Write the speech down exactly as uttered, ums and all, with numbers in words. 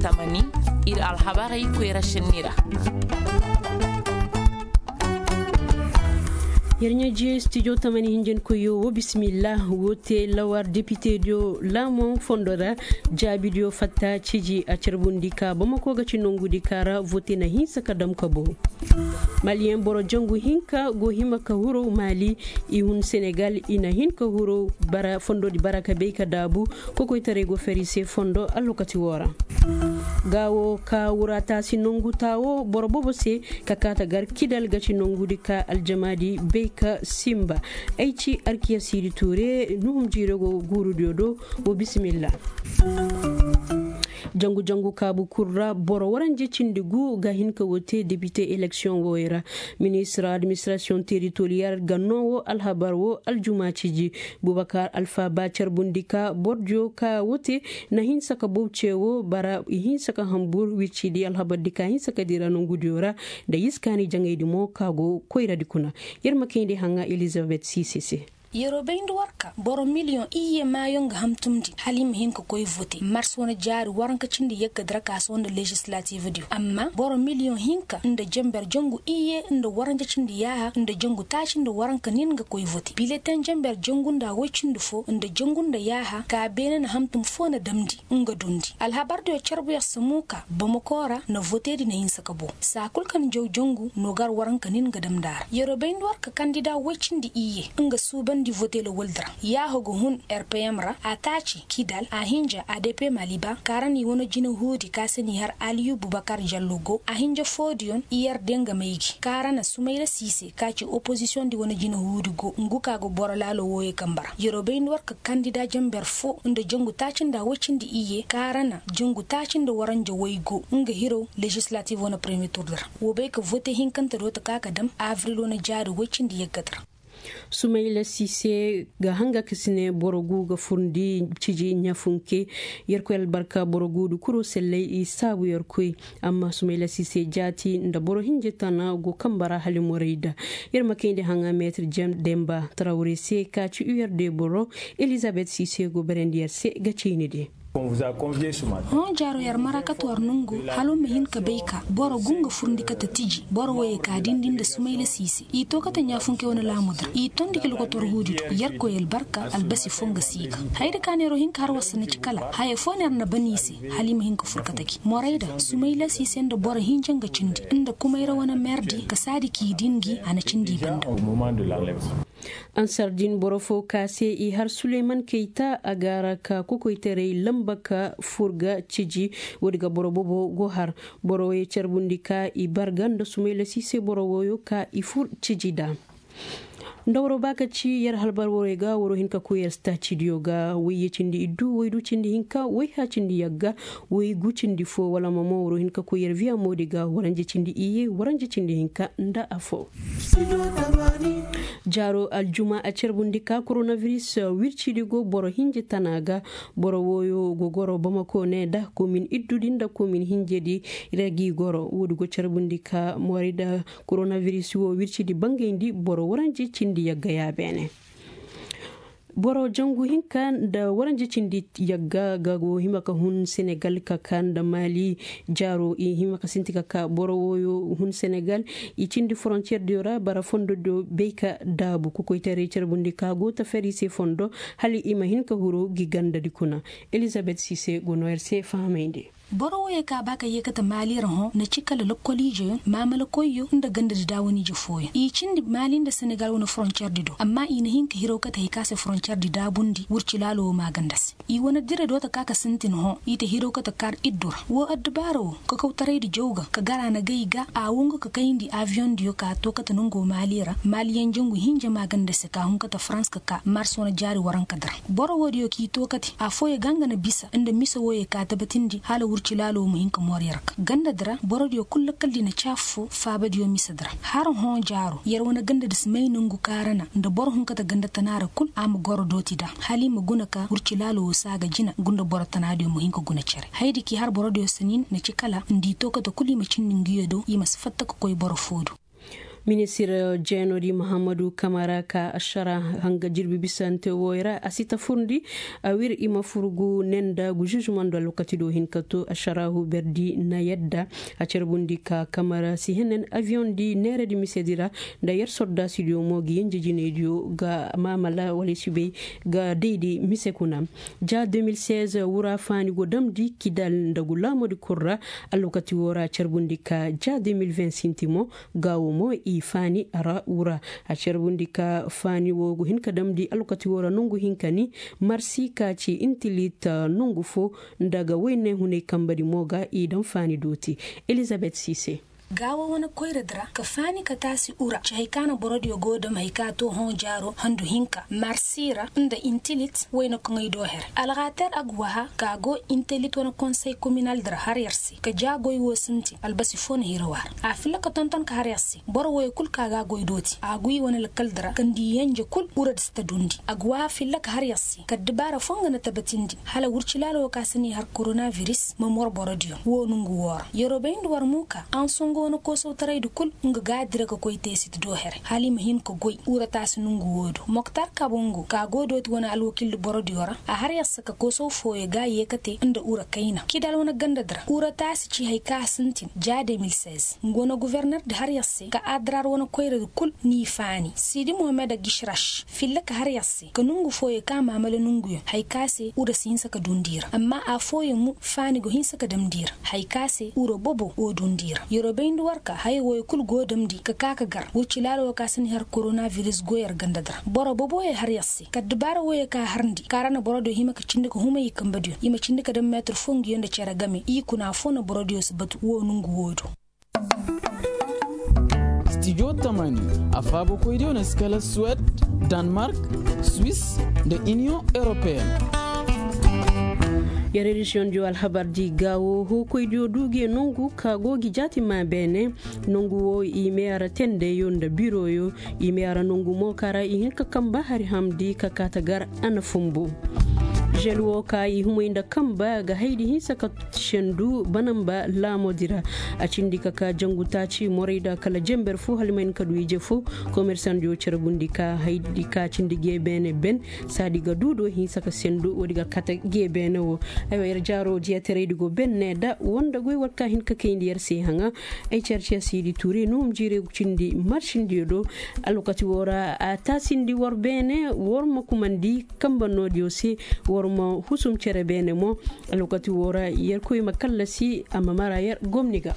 Tamani, ir alhabarey koyra šenni ra. Yer ɲaa jiyo studio tamani hinjankoyyo wo bismillah. Wo te lawar depitediyo laamo fondo ra. Jaabidiyo fatta ciji a carbundi ka bamako ga ci nongudi ka ra vote na hinsa ka dam ka bow. Maliyeŋ boro jangu hinka go hima ka huru mali. I hun senegal i na hin ka huru bara fondodi bara ka bay ka daabu. Kokoytaray go feri se fondo allokaci wo ra. Gaawo ka wura taasi nongu taawo boro bobo se ka kaata gar kidal ga ci nongudi ka aljamaadi bay ka simba. Ay ci arkiya siidi tuure nuhum jiiro go guurudiyo do. Wo bisimilla. Jangu jangu kaabu kul ra boro waranje cindi gu ga hin ka wo te depite eleksiyoŋ wooyo ra. Ministir administrasiyoŋ teritoriyal ga noo wo alhabar wo aljuma ciji. Bubakar alfa ba carbundi ka bordiyo ka wo te na hinsa ka bow ce wo bara i hinsa ka hambur wircidi alhabardi ka hinsa ka dira nongudiyo ra. Nda yiskaani jaŋaydi mo ka go koyradi kuna. Yer ma kayndi haŋa elizabet sise se. Yeroo bayndi war ka boro miliyoŋ iyye maayoŋ ga hamtumndi hala i ma hin ka koy vote mars wane jaari waranka cindi yagga dira ka sohõ nda legislatif diyo amma boro miliyoŋ hinka nda jenber jangu iyye nda waranja cindi yaaha nda jangu taaci nda waranka nin ga koy vote bileteŋ jenber jangu nda woy cindi fo nda jangu nda yaaha ka beene na hamtum fo na damndi nga dundi alhabar diyo carbuyaŋ samu ka bamako ra na voteedi na hinsa ka boŋ saa kul ka na jaw jangu no gar waranka nin ga damndi a ra yeroo bayndi war ka kandida woy cindi iyye nga suubandi vote lawaldi ra yaaha ga hun rpm ra a taaci kidal a hinja adp maliba ka ra na i wane jinahuudi ka se n'i har aliyu bubakar jallo go a hinja foodiyoŋ i yar de nga maygi ka ra na sumayla siise ka ci opozisiyoŋ di wane jinahuudi go ngu ka ga boro laalo wooyo kambe ra yeroo bayndi war ka kandida jenber fo nda jangu taaci nda woy cindi iyye ka ra na jangu taaci nda waranja woy go nga hiro legislatif wane premier turdi ra woo bay ka vote hinkante do ta ka ka dam avril wane jaari woy cindi yaggate ra. Sumayla sise ga hanga ka si ne boro gu ga furndi ciji ɲafunke. Yerkoy albarka boro guudi kuro selley i saabu yerkoy. Amma sumayla sise jaati nda boro hinje tana go kambe ra hala morayda. Yer ma kayndi haŋa meetir jem demba tarawre se ka ci u yer de boro. Elizabet sise go berandi yer se ga ciini de. Hõ jaaro yer mara kate war nongo hala war ma hin ka bay ka boro gu nga furndi kate tiji boro woyey ka dindi nda sumayla siise i to kate ɲaafunke wane laamudi ra i tondi ka lokotor huudi do yerkoy albarka albasi fo nga si ga hayda ka neero hin ka har war si na ci kala haya fo neer na ban i se hala i ma hin ka fur kate gi morayda sumayla siise nda boro hinja nga cindi nda kumayra wane merdi ka saadi k'i din gi a na cindi i banda. Ansar din boro fo ka se i har suleyman kayta a gaara ka kokoytaray lamba ka fur ga ciji. Woodi ga boro bobo go har boro wooyo carbundi ka i barga nda sumayla siise boro wooyo ka i fur ciji da. Nda waro ba ka ci yer halbar waroy ga waro hin ka koy yer staacidiyo ga wayye cindi iddu waydu cindi hinka wayha cindi yagga waygu cindi fo wala ma mo waro hin ka koy yer viya moodi ga waranje cindi iyye waranje cindi hinka nda afo. Jaaro aljuma a carbundi ka koronaviris wircidi go boro hinje tana ga. Boro wooyo go goro bamako ne da komin iddudi nda komin hinjedi ra gi goro woodi go carbundi ka moori da koronaviris wo wircidi bangayndi boro waranje cindi yagga ya beene. Boro jangu hinka nda waranje cindi yagga ga go hima ka hun senegal ka ka nda mali. Jaaro i hima ka sinti ka ka boro wooyo hun senegal i cindi frontiyer diyo ra bara fondo diyo bay ka daabu kokoytaray carbundi ka go ta feri se fondo hala i ma hin ka huru gi gandadi kuna. Elizabet sise go no yer se fahamayndi. Boro wooyo ka ba ka yee kate mali ra hõ na ci kala lokkoliijeyoŋ maamalakoyyo nda gandadi daawaniije fooyoŋ i cindi mali nda senegal wane frontiyer di do amma i na hin ka hiraw kate hay ka se frontiyer di daabundi wurci laalo wo maaganda se. I wane dire do ta ka ka sintin hõ i ta hiraw kate kar iddu ra woo addubaara wo kakawtaraydi jaw ga ka gar a na gay ga a wongu ka kayndi aviyoŋ diyo ka to kate nongo mali ra maliyaŋ jangu hinja maaganda se ka hun kate farans ka ka mars wane jaari waranka di ra. Boro woodiyo k'i to kate affooyo ga nga na bisa nda mise wooyo ka tabatindi hala wurci laalo wo ma hin ka moor yer ga gandadi ra borodiyo kul lakkaldi na ci affoo faabadiyo misedi ra. Har hõ jaaro yer wane gandadi si may nongu kaarana nda boro hunkate ganda tana ra kul a ma goro dooti da hala i ma guna ka wurci laalo wo saaga jina gunda boro tanaadiyo ma hin ka guna cere hayadi k'i har borodiyo sanin na ci kala nda i to kate kul i ma cindi nguyo do i ma si fatta ka koy boro foo do. Ministir jeenodi muhammadu kamara ka ašara hanga jirbi bisante wooyo ra a si ta furndi. A wir i ma furgu ne nda gu žužumandu alwakati do hin ka to ašarahu berdi na yadda. A carbundi ka kamara si henen aviyoŋ di neeredi misedi ra nda yer sordaasidiyo mo gi yenje jinaydiyo ga maamala wala i si bay ga daydi mise kuna. Ja deux mille seize wura faani go damndi kidal nda gu laamodi kul ra. Alwakati woo ra a carbundi ka ja deux mille vingt sinti mo. Gaawo mo i faani a ra wura. A carbundi ka faani woo go hin ka damndi alwakati woo ra nongu hinka ni marsi ka ci intilit nongu foo. Nda ga woyne hunay kambadi mo ga i daŋ faani dooti. Elizabet sise. Gaawo wane koyradi ra ka faani ka taasi ura ci hay ka na borodiyo go dam hay ka too hõ jaaro handu hinka marsi ra nda intilit wayna koŋey do here alxaater agwaha ka go intilit wane konsey kominaldi ra har yer se ka ja goy woo sintin albasi foo na hiraw a ra. A filla ka tonton ka har yer se boro wooyo kul ka ga a goy dooti a guy wane lakaldi ra kandi yenje kul uradi si ta dundi agwaha filla ka har yer se ka addibaara foo nga na tabatindi hala wurci laala woo ka si n'i har koronabiris ma mor borodiyo woo nongu woo ra yeroo bayndi war muuka ansongo wane koosawtaraydi kul nga ga a dira ka koy teesit do here hala i ma hin ka goy ura taasi nongu woo do moktar kabongo ka go dooti wane alwakildi borodiyo ra a har yer se ka koosaw fooyo ga a yee ka te nda ura kayna kidal wane gandadi ra ura taasi ci hay ka a sintin ja deux mille seize nga wane gofornerdi har yer se ka adrar wane koyradi kul n'i faani sidi mohammed agishraš filla ka har yer se ka nongu fooyo ka maamala nonguyaŋ hay ka se ura si hinsa ka dundi i ra amma affooyaŋ mo faani go hinsa ka damndi i ra hay ka se ura bobo go dundi i ra yeroo bayndi war ka haya wooyo kul go damndi ka ka ka gar wurci laala woo ka si n'i har koronabiris go yer gandadi ra boro boboyo har yer se ka addibaara wooyo ka harndi ka ra na borodiyo hima ka cindi ka humay i kambadiyo i ma cindi ka dam meetir foo nguyo nda cere game i kuna foo na borodiyo si batu woo nongu woo do. Stijo tamani a faabakoydiyo na si kala suwed, danmark, swis, nda iniyoŋ europeen. Yer edisiyoŋdiyo alhabardi gaawo hookoydiyo du ge nongu ka go gi jaati maa beene. Nongu woo i mee a ra tendeyo nda biroyo i mee a ra nongu mo ka ra i hin ka kamba hari hamdi ka kaata gar a na fumbu. Žel woo ka i humay nda kamba ga haydi hinsa ka sendu banamba laamodi ra. A cindi ka ka jangu taaci morayda kala jenber foo hala i ma hin ka du ije foo. Komersandiyo carbundi ka haydi ka cindi ge beene ben saadi ga du do hinsa ka sendu woodi ga kate ge beene woo. Aywa yer jaaroo diyateraydi go ben ne da woo nda goy war ka hin ka kayndi yer se haŋa. Ay carciya siidi tuure no hum jiire cindi marsindiyo do. Alwakati woo ra a taasindi war beene war ma kumandi kamba noodiyo se. War ma husum cere beene mo. Alwakati woo ra yerkoy ma kallasi a ma mara yer gomni ga.